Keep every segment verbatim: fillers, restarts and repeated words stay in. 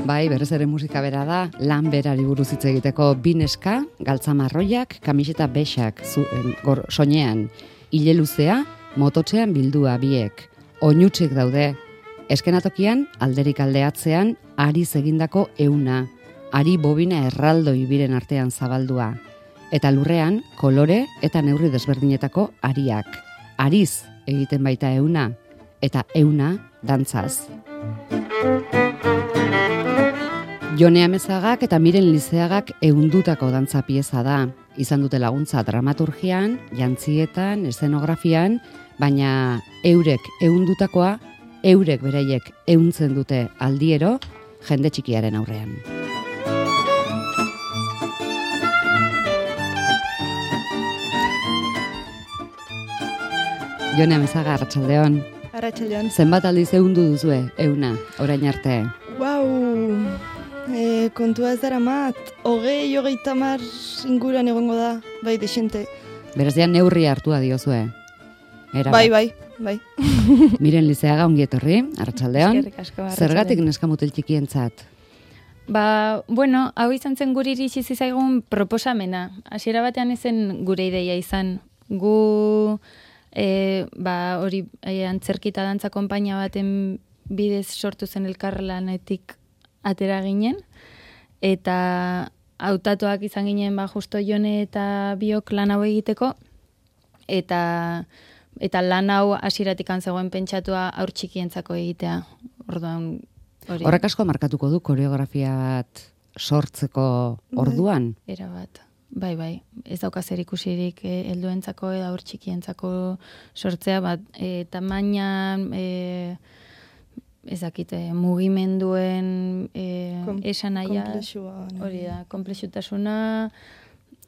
Bai, berez ere musika bera da, lan berari buruz hitz egiteko bi neska, galtza marroiak, kamiseta bexak, zu, gor, soinean, ile luzea, mototxean bildua biek, oinutsik daude, eskenatokian, alderik aldeatzean, ariz egindako euna, ari bobina erraldoi biren artean zabaldua, eta lurrean, kolore eta neurri desberdinetako ariak, ariz egiten baita euna, eta euna dantzaz. Jone Amezagak eta Miren Lizeagak ehundutako dantza pieza da. Izan dute laguntza dramaturgian, jantzietan, eszenografian, baina eurek ehundutakoa, eurek beraiek ehuntzen dute aldiero, jende txikiaren aurrean. Jone Amezaga, arratsaldeon. Arratsaldeon. Zenbat aldiz ehundu duzue, euna, orain arte? Wow. E, kontua ez dara mat, hogei, hogei tamar inguruan egongo da, bai, desente. Beraz, ja neurri hartua diozue. Era bai, bai, bai. Miren Lizeaga, ongi etorri, arratsaldeon. Eskerrik asko, arratsaldeon. Zergatik neskamutil txikientzat? Ba, bueno, hau izan zen guri iritsi zaigun proposamena. Hasiera batean ezen gure ideia izan. Gu, e, ba, hori e, antzerkita dantza konpainia baten bidez sortu zen elkarlanetik atera ginen, eta hautatuak izan ginen ba justo Jone eta biok lan hau egiteko, eta eta lan hau hasieratik zegoen pentsatua haur txikientzako egitea. Orduan hori. Horrek asko markatuko du koreografia bat sortzeko orduan? Era bat. Bai, bai. Ez dauka zer ikusirik eh, helduentzako edo haur txikientzako sortzea, bat e, tamainan, e, ezakite, mugimenduen e, Kom, esanahia, komplexua, hori da, komplexutasuna,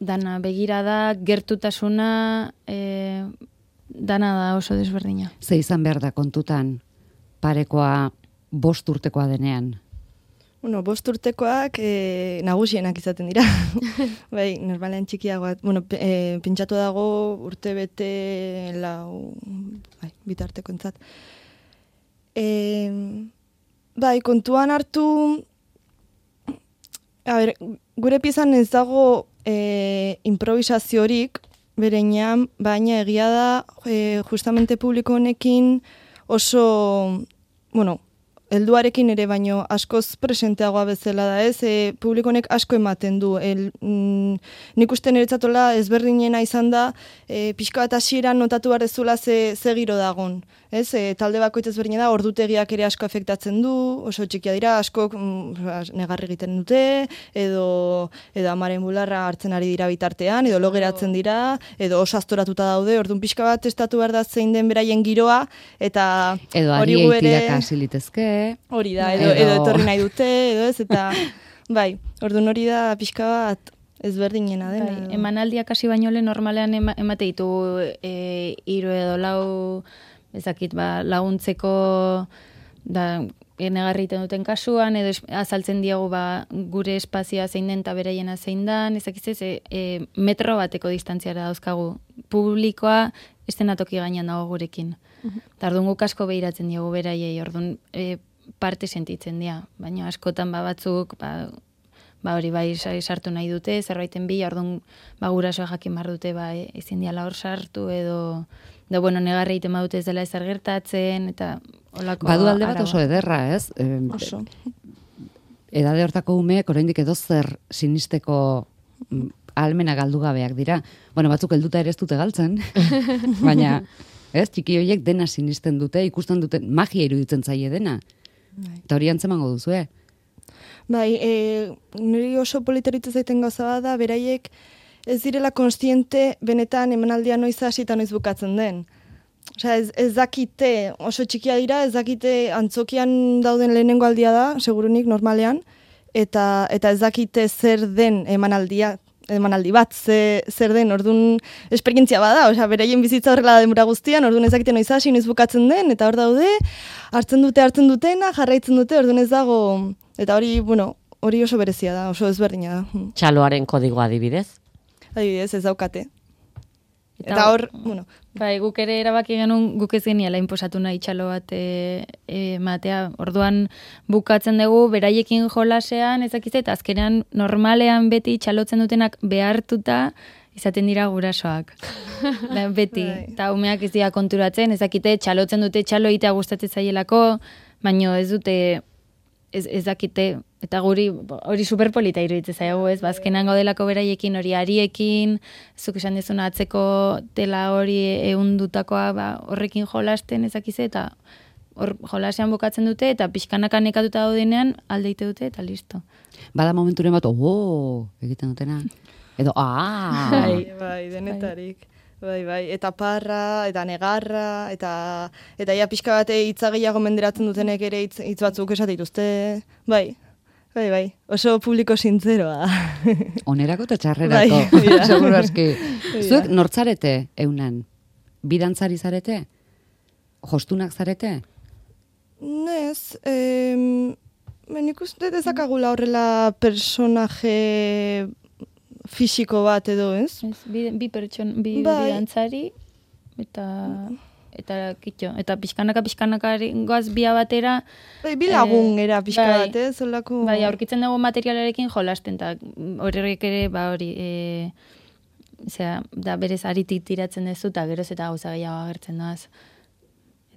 dana begirada, gertutasuna, e, dana da oso desberdina. Ze izan behar da kontutan parekoa bost urtekoa denean? Bueno, bost urtekoak e, nagusienak izaten dira. Bai, normalean txikiagoa. Bueno, p- e, pentsatu dago urte bete lau, bai, bitarteko entzat. E, bai, kontuan hartu, a ber, gure piezan ez dago e, improvisaziorik bereinean, baina egia da e, justamente publiko honekin oso, bueno, helduarekin ere baino askoz presenteagoa bezala da, ez? E, publiko honek asko ematen du. El, mm, nik uste niretzatola ezberdinena izan da, e, pixka bat hasieran notatu behar dezula ze, ze giro dagon. Ez? E, talde bakoitz ezberdina da, ordutegiak ere asko afektatzen du, oso txikia dira, asko mm, negarri egiten dute, edo, edo amaren bularra hartzen ari dira bitartean, edo logeratzen dira, edo oso aztoratuta daude, orduan pixka bat testatu behar da zein den beraien giroa, eta Edo hori ariei gu ere- tiraka hasi litezke. Hori da, edo, Edo- edo etorri nahi dute, edo ez, eta bai, orduan hori da pixka bat ezberdinena dena. Bai, edo. emanaldiak hasi baino lehen normalean ema, emate ditu e, hiru edo lau, ezakit, ba, laguntzeko da negarri egiten duten kasuan, edo es, azaltzen diegu ba, gure espazioa zein den eta beraiena zein dan, ezakit ez, e, e, metro bateko distantziara dauzkagu. Publikoa estenatoki gainean dago gurekin. Eta orduan guk asko behiratzen diegu beraiei, orduan e, parte sentitzen dira. Baina askotan ba, batzuk, ba, ba hori bai sa- sartu nahi dute, zerbaiten bila, orduan ba, gurasoa jakin behar dute, ba, e, ezin diala hor sartu, edo, edo bueno, negarri egiten badute ez dela ezer gertatzen, eta olako Badu alde bat araua. oso ederra, ez? E, Oso. edade hortako umeek oraindik edo zer sinisteko mm, ahalmena galdu gabeak dira. Bueno, batzuk helduta ere ez dute galtzen, baina ez, txiki horiek dena sinisten dute, ikusten duten magia iruditzen zaie dena. Bai. Eta hori antzemango duzue. Bai, e, niri oso politeritza zaiten gauza bat da, beraiek ez direla konstiente benetan emanaldia noiz hasi eta noiz bukatzen den. Osea, ez, ez dakite, oso txikia dira, ez dakite antzokian dauden lehenengo aldia da, segurunik normalean, eta, eta ez dakite zer den emanaldia, emanaldi bat, ze, zer den, orduan esperientzia bada, osea, beraien bizitza horrela da denbora guztian, orduan ez dakite noiz hasi, noiz bukatzen den, eta hor daude, hartzen dute, hartzen dutena, jarraitzen dute, orduan ez dago, eta hori, bueno, hori oso berezia da, oso ezberdina da. Txaloaren kodigoa adibidez. Adibidez, ez daukate. Eta hor, bueno... Bai, guk ere erabaki genuen guk ez geniala inposatu nahi txalo bat e, e, matea. Orduan bukatzen dugu beraiekin jolasean, ezakizte, eta azkenean normalean beti txalotzen dutenak behartuta izaten dira gurasoak. Da, beti. Eta umeak ez dira konturatzen, ezakite txalotzen dute txalo egitea gustatzen zaielako, baino ez dute ez, ez dakite, eta guri hori superpolita iruditzen zaigu, ez? Bazkenan gaudelako beraiekin, hori ariekin, zuk esan dezuna atzeko tela hori ehundutakoa ba, horrekin jolasten ezakize, eta hor jolasean bukatzen dute, eta pixkanaka nekatuta daudenean aldeite dute, eta listo. Bada momenturen bat, oh, egiten dutena. Edo, ah! Bai, bai, denetarik. Bai, bai, eta parra, eta negarra, eta eta ja pixka bate hitza gehiago menderatzen dutenek ere hitz, hitz batzuk esate dituzte. Bai, bai, bai, oso publiko sintzeroa. Onerako eta txarrerako, bai, seguru aski. Zuek nortzarete eunan? Bidantzari zarete? Jostunak zarete? Nez, em, nik uste dezakagula horrela personaje fisiko bat edo, ez? Ez, bi, bi pertson, bi bai. Bidantzari, eta eta kitxo, eta pixkanaka pixkanaka goaz bia batera. Bai, bi lagun era pixka bai, bat, ez? Olako... Bai, aurkitzen dugu materialarekin jolasten, eta horrek ere, ba hori, e, zera, da berez aritik tiratzen duzu, eta geroz eta gauza gehiago agertzen doaz.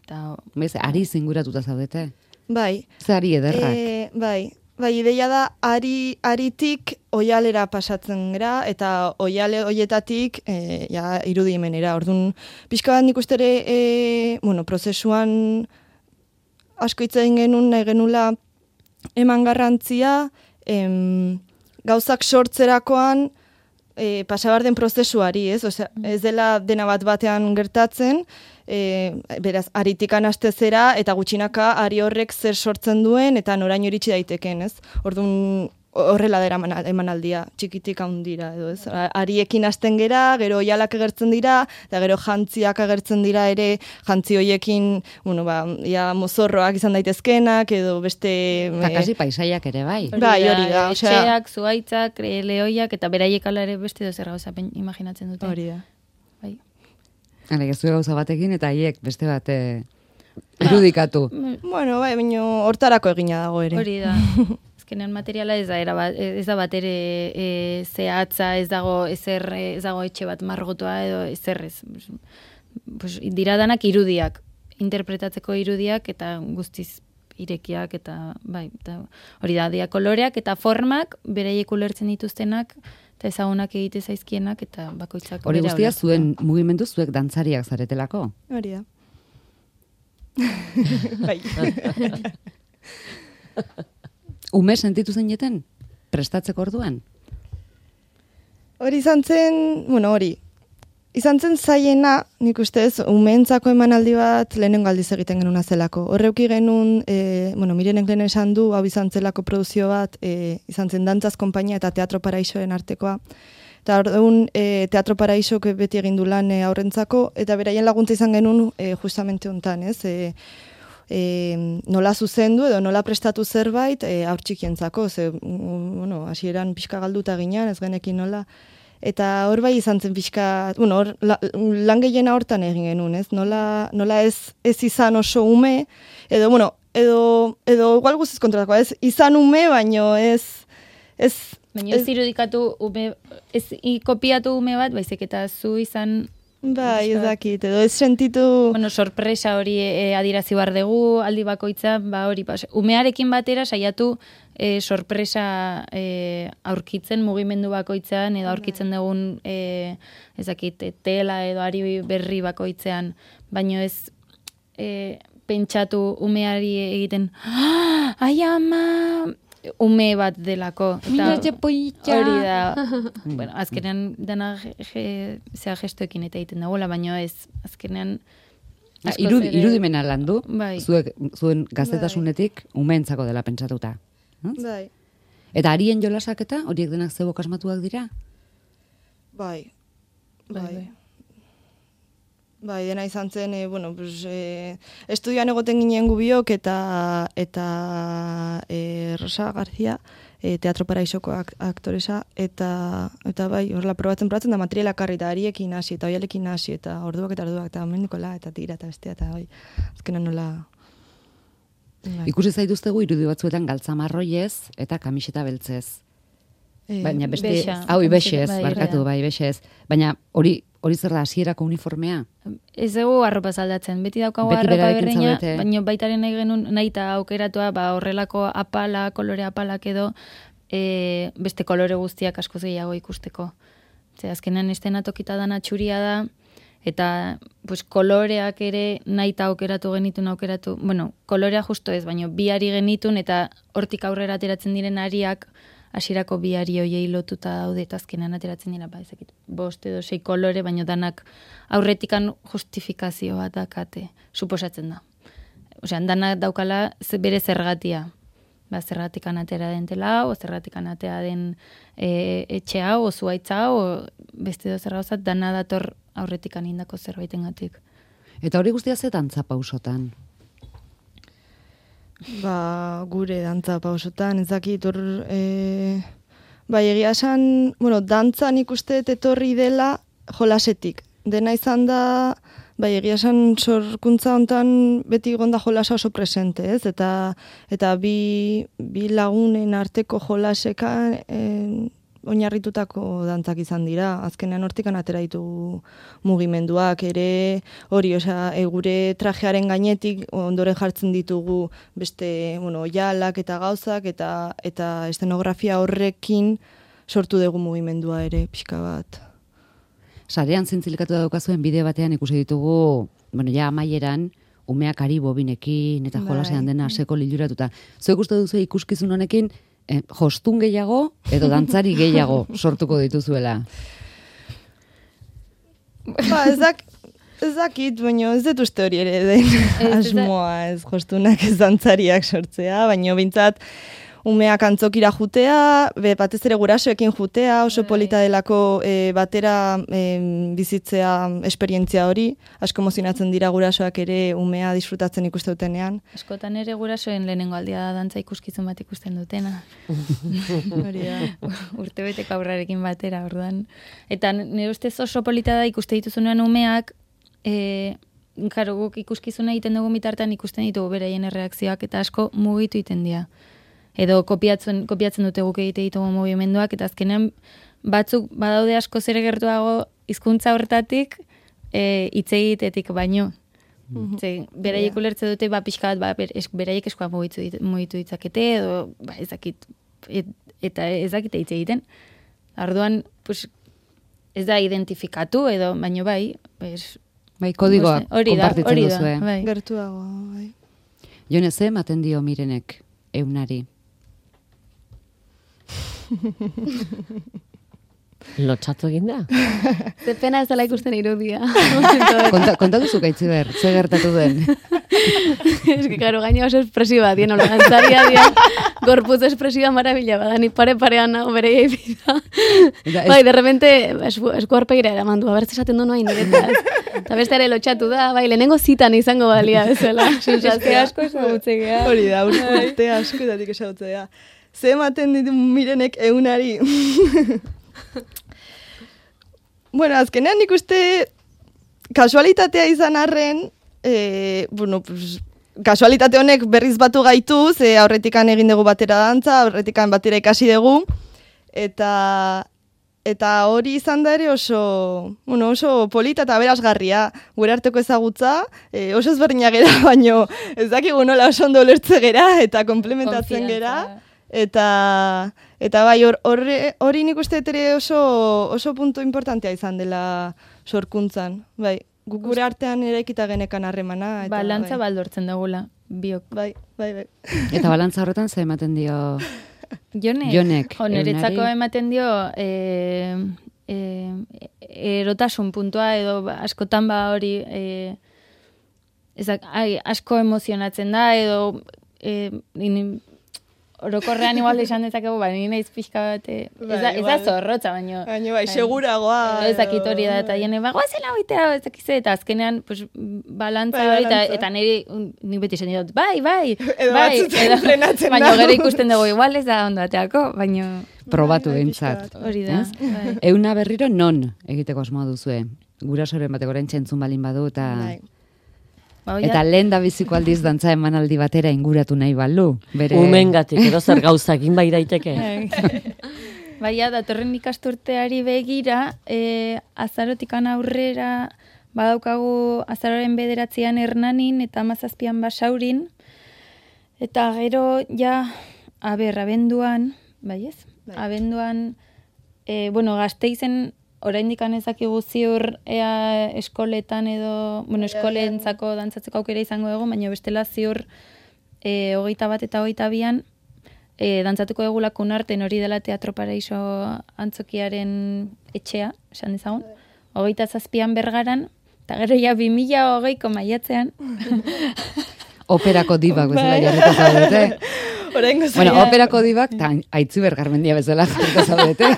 Eta... Bez, ari zinguratuta zaudete? Bai. Ze ari ederrak? E, bai. Bai, ideia da, ari, aritik oialera pasatzen gara, eta oiale hoietatik e, ja, irudimenera. Orduan, pixka bat nik ustere, e, bueno, prozesuan asko hitz egin genuen, nahi genula eman garrantzia, em, gauzak sortzerakoan e, pasabar den prozesuari, ez? Osea, ez dela dena bat batean gertatzen, E, beraz, aritikan astezera eta gutxinaka ari horrek zer sortzen duen eta noraino iritsi daiteken, ez? Orduan horrela dera emanaldia, txikitik handira, edo ez? Ariekin hasten gera, gero oialak agertzen dira, eta gero jantziak agertzen dira ere, jantzi hoiekin, bueno, ba, ja mozorroak izan daitezkenak, edo beste... Eta kasi paisaiak ere bai. Bai, hori da. Etxeak, zuaitzak, lehoiak, eta beraiek ala ere beste dozer gauza imaginatzen dute. Hori da. Bai. Hala, gaztu gauza batekin eta haiek beste bate irudikatu. Bueno, bai, baina hortarako egina dago ere. Hori da. Azkenean materiala ez da, era bat, ez da bat ere e, zehatza, ez dago ezer, ez dago etxe bat margotua edo ezer ez. Pues, dira danak irudiak, interpretatzeko irudiak eta guztiz irekiak eta bai, eta hori da, dia koloreak eta formak bereiek ulertzen dituztenak, eta ezagunak egite zaizkienak, eta bakoitzak... Hori guztia zuen mugimendu zuek dantzariak zaretelako? Hori da. Bai. Ume sentitu zineten? Prestatzeko orduan? Hori izan zen, bueno, hori, izan zen zaiena, nik ustez, umeentzako emanaldi bat lehenengo aldiz egiten genuna zelako. Horreuki genuen, e, bueno, Mirenek lehen esan du, hau izan zelako produzio bat, e, izan zen Dantzaz Konpainia eta Teatro Paraixoen artekoa. Eta orduan, e, Teatro Paraixok beti egin du lan e, aurrentzako, eta beraien laguntza izan genuen e, justamente hontan, ez? E, e, nola zuzendu edo nola prestatu zerbait e, aur txikientzako, ze, bueno, hasieran pixka galduta ginean, ez genekin nola. Eta hor bai izan zen pixka, bueno, hor, la, lan gehiena hortan egin genuen, ez? Nola, nola ez, ez izan oso ume, edo, bueno, edo, edo igual guztiz kontratako, ez izan ume, baino ez... ez baina ez, ez irudikatu ume, ez kopiatu ume bat, baizik eta zu izan... Bai, ez dakit, edo ez sentitu... Bueno, sorpresa hori e, adirazi bar dugu, aldi bakoitza, ba hori, pas, umearekin batera saiatu e, sorpresa e, aurkitzen mugimendu bakoitzean, edo aurkitzen dugun e, ez dakit, tela edo ari berri bakoitzean, baino ez e, pentsatu umeari egiten, ah, ai ama... ume bat delako. Milatxe poitxa. Hori da. Bueno, azkenean dena je, zea gestoekin eta egiten dagoela, baina ez, azkenean... Irud, ere... Irudimena landu, bai. Zuek, zuen gaztetasunetik umeentzako dela pentsatuta. Bai. Eta harien jolasak eta horiek denak zebok asmatuak dira? Bai. Bai. Bai. Bai, dena izan zen, e, bueno, pues, e, estudian egoten ginen gubiok eta eta e, Rosa García e, Teatro Paraisoko ak aktoresa, eta, eta bai, horrela probatzen probatzen da materiala karri, eta ariekin hasi, eta oialekin hasi, eta orduak eta orduak, eta mendikola, eta tira, eta bestea, eta bai, azkenan nola... Bai. Ikusi zaituztegu irudi batzuetan galtzamarroiez eta kamiseta beltzez. E, Baina beste... Bexa, Hau, ibexez, bai, barkatu, bai, ibexez. Baina hori hori zer da, hasierako uniformea? Ez dugu arropa aldatzen, beti daukagu Beti arropa berarekin berreina, zaudete. baina baitaren nahi genuen nahi eta aukeratua, ba, horrelako apala, kolore apalak edo, e, beste kolore guztiak askoz gehiago ikusteko. Ze azkenean estenatokita dana txuria da, eta pues, koloreak ere nahi eta aukeratu genitun aukeratu, bueno, kolorea justo ez, baina bi ari genitun, eta hortik aurrera ateratzen diren ariak, hasierako bi ari hoiei lotuta daude eta azkenean ateratzen dira, ba, ezakit, bost edo sei kolore, baina danak aurretikan justifikazio bat dakate, suposatzen da. Osea, danak daukala ze- bere zergatia. Ba, zergatikan atera den tela, o zergatikan atera den e, etxe hau, o zuaitza hau, o beste edo zer gauzat, dana dator aurretikan indako zerbaitengatik. Eta hori guztia ze dantza pausotan? Ba, gure dantza pausotan, ez dakit, hor, e, bai, egia esan, bueno, dantzan ikuste dut etorri dela jolasetik. Dena izan da, bai, egia esan sorkuntza hontan beti gonda jolasa oso presente, ez? Eta, eta bi, bi lagunen arteko jolasekan e, oinarritutako dantzak izan dira. Azkenean hortikan atera ditu mugimenduak ere, hori, osea, e, gure trajearen gainetik ondoren jartzen ditugu beste, bueno, oialak eta gauzak, eta eta estenografia horrekin sortu dugu mugimendua ere, pixka bat. Sarean zintzilikatu daukazuen bideo batean ikusi ditugu, bueno, ja amaieran, umeak ari bobinekin eta Bai. jolasean dena seko liluratuta. Zuek uste duzu ikuskizun honekin, eh, jostun gehiago edo dantzari gehiago sortuko dituzuela? Ba, ez dak, ez dakit, baina ez dut uste hori ere den ez da- asmoa, ez jostunak ez dantzariak sortzea, baina bintzat umeak antzokira jutea, be, batez ere gurasoekin jutea, oso Bai. polita delako e, batera e, bizitzea esperientzia hori, asko emozionatzen dira gurasoak ere umea disfrutatzen ikuste dutenean. Askotan ere gurasoen lehenengo aldia da dantza ikuskizun bat ikusten dutena. Hori da. Urtebeteko aurrarekin batera, orduan. Eta nire ustez oso polita da ikuste dituzunean umeak, e, karo, guk ikuskizuna egiten dugu bitartean ikusten ditugu beraien erreakzioak eta asko mugitu egiten dira. Edo kopiatzen, kopiatzen dute guk egite ditugu mugimenduak, eta azkenean batzuk badaude asko zer gertuago hizkuntza horretatik e, hitz egitetik baino. Ze, beraiek ulertze dute, ba, pixka bat, ba, ber, es, beraiek eskoa mugitu, dit- mugitu ditzakete, edo, ba, ezakit, et, eta ezakite hitz egiten. Orduan, pues, ez da identifikatu, edo, baino bai, pues, Bai, kodigoa hori da, konpartitzen hori da, duzue. bai. Gertuago, bai. Jone, ze ematen dio Mirenek eunari? Lotxatu egin da. Ze pena ez dela ikusten irudia. Konta, kontatu zuk Aitziber, ze gertatu den? Ez que, claro, gaina oso espresiba, dien, hola, gantzaria, dien, gorputz espresiba marabila, bada, ni pare-parean nago bere egipida. Eta ez- Bai, de repente, esku, esku arpegira eraman du, abertz esaten du noa indiretaz. Eta beste ere lotxatu da, bai, lehenengo zitan izango balia bezala. Sensazio asko ezagutzea. Hori da, urte, urte askotatik esagutzea. Ze ematen ditu Mirenek eunari. Bueno, azkenean nik uste kasualitatea izan arren, e, bueno, pues, kasualitate honek berriz batu gaitu, ze aurretikan egin dugu batera dantza, aurretikan batera ikasi dugu, eta eta hori izan da ere oso, bueno, oso polita eta berazgarria, gure arteko ezagutza, e, oso ezberdina gera, baino ez dakigu nola oso ondo ulertze gera eta komplementatzen gera. Eta eta bai hor horre- hori nik uste dut ere oso oso puntu importantea izan dela sorkuntzan. Bai, guk gure artean eraikita genekan harremana eta Balantza bai. baldortzen dugula, biok. Bai, bai, bai. Eta balantza horretan ze ematen dio... Jonek, Jonek, jo, niretzako eunari. ematen dio e, e, erotasun puntua edo ba, askotan ba hori e, ezak, ai, asko emozionatzen da edo e, in, orokorrean igual esan dezakegu, ba, nire naiz pixka bat, eh, ez da, Bai, ez da igual. zorrotza, baino. Baina bai, seguragoa. Ez dakit hori da, eta edo- jene, ba, goazela hoitea, ez dakize, eta azkenean, pues, balantza Bai, hori, eta, balantza. eta niri, un- nik beti zen dut, bai, bai, Edo bai, batzutan frenatzen baina da. gero ikusten dugu, igual ez da ondo ateako, baina Probatu Bai, behintzat. pixka bat. hori da. Ez? Bai. Euna berriro non egiteko asmoa duzue? Gurasoren batek orain txentzun balin badu eta... Bai. Ba, hoi Eta da- lehen da biziko aldiz dantza emanaldi batera inguratu nahi balu. Bere... Umengatik, edo zer gauzakin bai daiteke. Baina, datorren ikasturteari begira, e, azarotikan aurrera, badaukagu azaroren bederatzean Hernanin eta hamazazpian Basaurin, eta gero, ja, aber, abenduan, bai ez? Bai. Abenduan, e, bueno, Gasteizen, oraindik ezakigu ziur ea eskoletan edo, bueno, eskolentzako dantzatzeko aukera izango dugu, baina bestela ziur e, hogeita bat eta hogeita bian, e, dantzatuko dugu lakun arten hori dela Teatro Paraiso antzokiaren etxea, esan dezagun. Hogeita zazpian Bergaran, eta gero ja bi mila hogeiko maiatzean. Operako dibak bezala jarriko zaudete. Oraingo Bueno, zaila. operako dibak, eta Aitziber Garmendia bezala jarriko zaudete.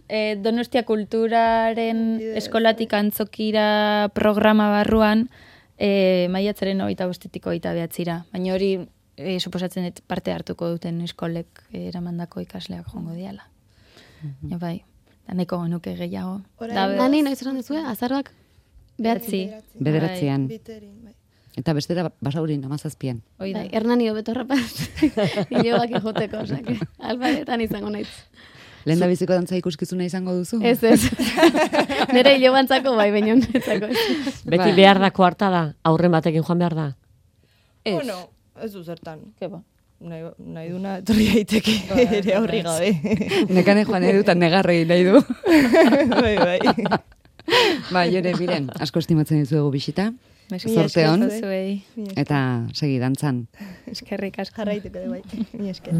E, Donostia Kulturaren eskolatik antzokira programa barruan, e, maiatzaren hogeita bostetik hogeita behatzira. Baina hori, e, suposatzen dut parte hartuko duten eskolek eramandako ikasleak jongo diala. Ja, bai, da nahiko genuke gehiago. Orain- Da, be- Nani, noiz esan duzue, azaroak behatzi. Behatzi. Bederatzean. Biterin, bai. Eta bestera Basaurin hamazazpian. Hoi da. Bai, Hernani hobeto rapaz. Ilobak joteko, osake. Albaretan izango naiz. Lehen da biziko dantza ikuskizuna izango duzu? Ez, ez. Nere ilobantzako bai, baina netzako ez. Beti Bai. behar dako harta da, aurren batekin joan behar da. Ez. Bueno, ez du zertan. Ke ba. Nahi, nahi duna etorri daiteke ere aurri gabe. Nekane joan nahi du eta negarre egin nahi du. bai, bai. Ba, jore, biren, asko estimatzen dizuegu bisita. Mila Zorte on. esker zuei. Eta segi dantzan. Eskerrik asko. Jarraituko du bai. Mi esker.